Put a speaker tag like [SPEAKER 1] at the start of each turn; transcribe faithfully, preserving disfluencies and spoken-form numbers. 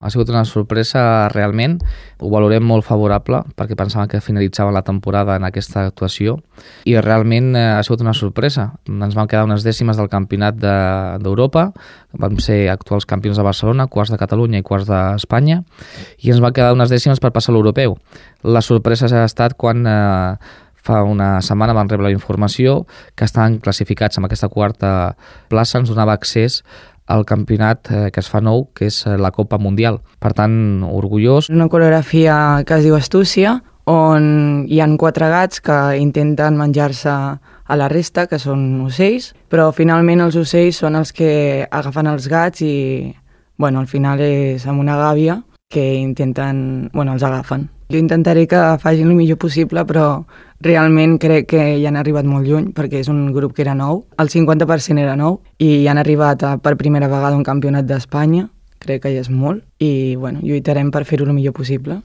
[SPEAKER 1] Ha sigut una sorpresa realment, ho valorem molt favorable perquè pensàvem que finalitzava la temporada en aquesta actuació i realment ha sigut una sorpresa. Ens van quedar unes dècimes del campionat d'Europa, vam ser actuals campions de Barcelona, quarts de Catalunya i quarts d'Espanya i ens van quedar unes dècimes per passar a l'europeu. La sorpresa ha estat quan eh, fa una setmana van rebre la informació que estaven classificats amb aquesta quarta plaça, ens donava accés al campionat eh, que es fa nou, que és la Copa Mundial. Per tant, orgullós.
[SPEAKER 2] Una coreografia que es diu Astúcia, on hi han quatre gats que intenten menjar-se a la resta, que són ocells, però finalment els ocells són els que agafen els gats i, bueno, al final és amb una gàbia que intenten, bueno, els agafen. Jo intentaré que facin el millor possible, però realment crec que hi han arribat molt lluny, perquè és un grup que era nou, el cinquanta per cent era nou, i hi han arribat a, per primera vegada a un campionat d'Espanya, crec que ja és molt, i bueno, lluitarem per fer-ho el millor possible.